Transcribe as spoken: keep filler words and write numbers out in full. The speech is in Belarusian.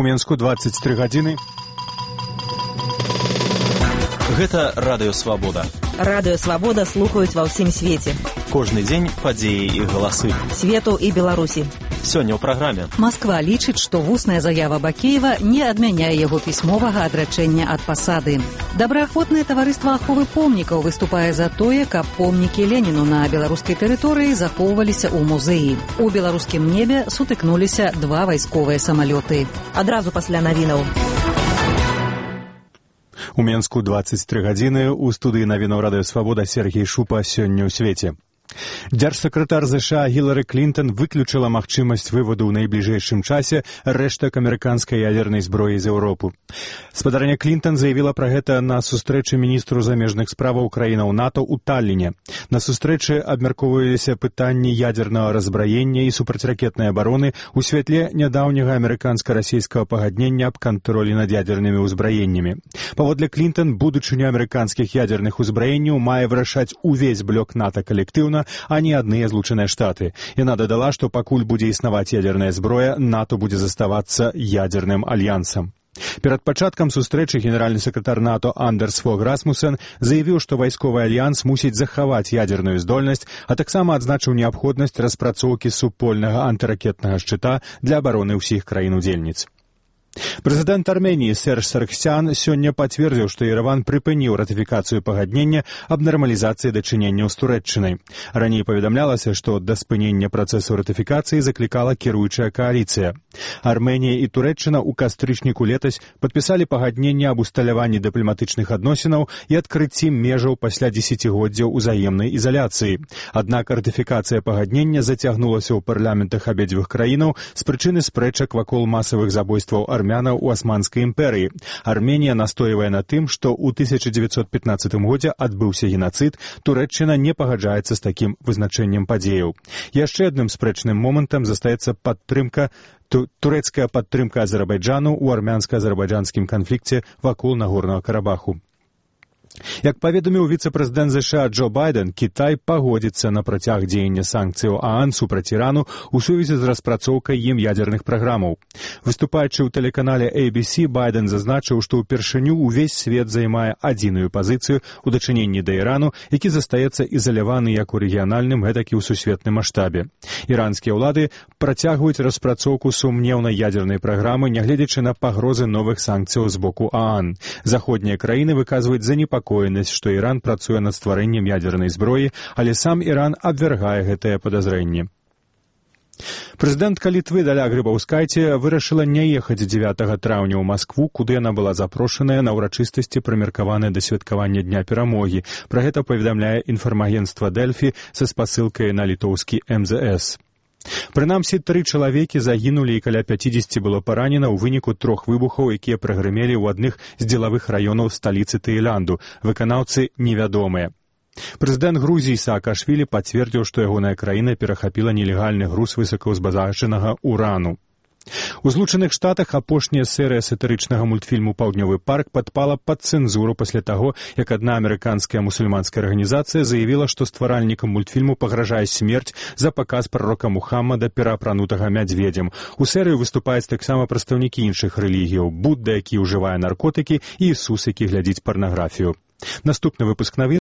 У Менску двадцать тры гадзіны. Гэта Радыё Свабода. Радыё Свабода слухаюць ва ўсім свеце. Кожны дзень падзеі і галасы. Свету і Беларусі. Сёння ў праграме. Масква лічыць, што вусная заява Бакеева не адмяняе яго пісьмовага адрачэння ад пасады. Добраахвотнае таварыства аховы помнікаў выступае за тое, каб помнікі Леніну на беларускай тэрыторыі захоўваліся ў музеі. У беларускім небе сутыкнуліся два вайсковыя самалёты. Адразу пасля навінаў. У Менску двадцать тры гадзіны. У студыі навінаў Радыё Свабода Сергей Шупа. Сёння ў свеце. Дзяржсакратар ЗША Гілары Клінтон выключыла магчымасць выводу ў найбліжэйшым часе рэштак амерыканскай ядернай зброі з Еўропы. Спадарня Клінтон заявіла пра гэта на сустрэчы міністру замежных справаў краінаў НАТО ў Талліне. На сустрэчы абмяркоўваліся пытанні ядернага раззбраення і супрацьракетнай абароны ў святле нядаўняга амерыканска-расійскага пагаднення аб кантролі над ядернымі ўзбраеннямі. Паводле Клінтон, будучыню амерыканскіх ядерных узбраенняў мае вырашаць увесь блок НАТО калектыўна, а не адныя злучаныя штаты. Яна дадала, што пакуль будзе існаваць ядерная зброя, НАТО будзе заставацца ядерным альянсам. Перад пачаткам сустрэчы генеральны сакратар НАТО Андерс Фог Расмуссен заявіў, што вайсковы альянс мусіць захаваць ядерную здольнасць, а таксама адзначыў неабходнасць распрацоўкі супольнага антыракетнага шчыта для абароны ўсіх краін-удзельніц. Прэзідэнт Арменіі Серж Саргсян сёння пацвердзіў, што Ерэван прыпыніў ратыфікацыю пагаднення аб нармалізацыі дачыненняў з Турэччынай. Раней паведамлялася, што да спынення працэсу ратыфікацыі заклікала кіруючая кааліцыя. Арменія і Турэччына ў кастрычніку летась падпісалі пагадненне аб усталяванні дыпламатычных адносінаў і адкрыцці межаў пасля дзесяцігоддзяў узаемнай ізаляцыі. Аднак ратыфікацыя пагаднення зацягнулася ў парламентах абедзвюх краінаў з прычыны спрэчак вакол масавых забойстваў армянаў у Асманскай імперыі. Арменія настойвае на тым, што ў тысяча дзевяцьсот пятнаццатым годзе адбыўся генацыд, Турэччына не пагаджаецца з такім вызначэннем падзеяў. Яшчэ адным спрэчным момантам застаецца падтрымка турэцкая падтрымка Азербайджану ў армянска-азербайджанскім канфлікце вакол Нагорнага Карабаху. Як паведаміў віцэ-прэзідэнт ЗША Джо Байден, Кітай пагодзіцца на працяг дзеяння санкцыяў ААН супраць Ірану ў сувязі з распрацоўкай ім ядерных праграмаў. Выступаючы ў тэлеканале эй би си, Байден зазначыў, што ўпершыню ўвесь свет займае адзіную пазіцыю ў дачыненні да Ірану, які застаецца ізаляваны як у рэгіянальным, гэтак і ў сусветным маштабе. Іранскія ўлады працягваюць распрацоўку сумнеўнай ядернай праграмы, нягледзячы на пагрозы новых санкцыяў з боку ААН. Заходнія краіны выказваюць занепакоенасць, што Іран працуе над стварэннем ядернай зброі, але сам Іран абвяргае гэтае падазрэнне. Прэзідэнтка Літвы Даля Грыбаўскайце вырашыла не ехаць дзевятага траўня ў Маскву, куды яна была запрошаная на ўрачыстасці, прымеркаваныя да святкавання Дня перамогі. Пра гэта паведамляе інфармагенцтва Дэльфі са спасылкай на літоўскі эм зэ эс. Прынамсі, тры чалавекі загінулі і каля пяцідзесяці было паранена ў выніку трох выбухаў, якія прагрымелі ў адных з дзелавых раёнаў сталіцы Таіланду. Выканаўцы невядомыя. Прэзідэнт Грузіі Саакашвілі пацвердзіў, што ягоная краіна перахапіла нелегальны груз высокаўзбагачанага урану. У Злучаных Штатах апошняя серыя сатырычнага мультфільму «Паўднёвы парк» падпала пад цэнзуру пасля таго, як адна амерыканская мусульманская арганізацыя заявіла, што стваральнікам мультфільму пагражае смерць за паказ прарока Мухаммада пераапранутага мядзведзем. У серыі выступаюць таксама прадстаўнікі іншых рэлігіяў: Будда, які ўжывае наркотыкі, і Ісус, які глядзіць парнаграфію. Наступны выпуск навін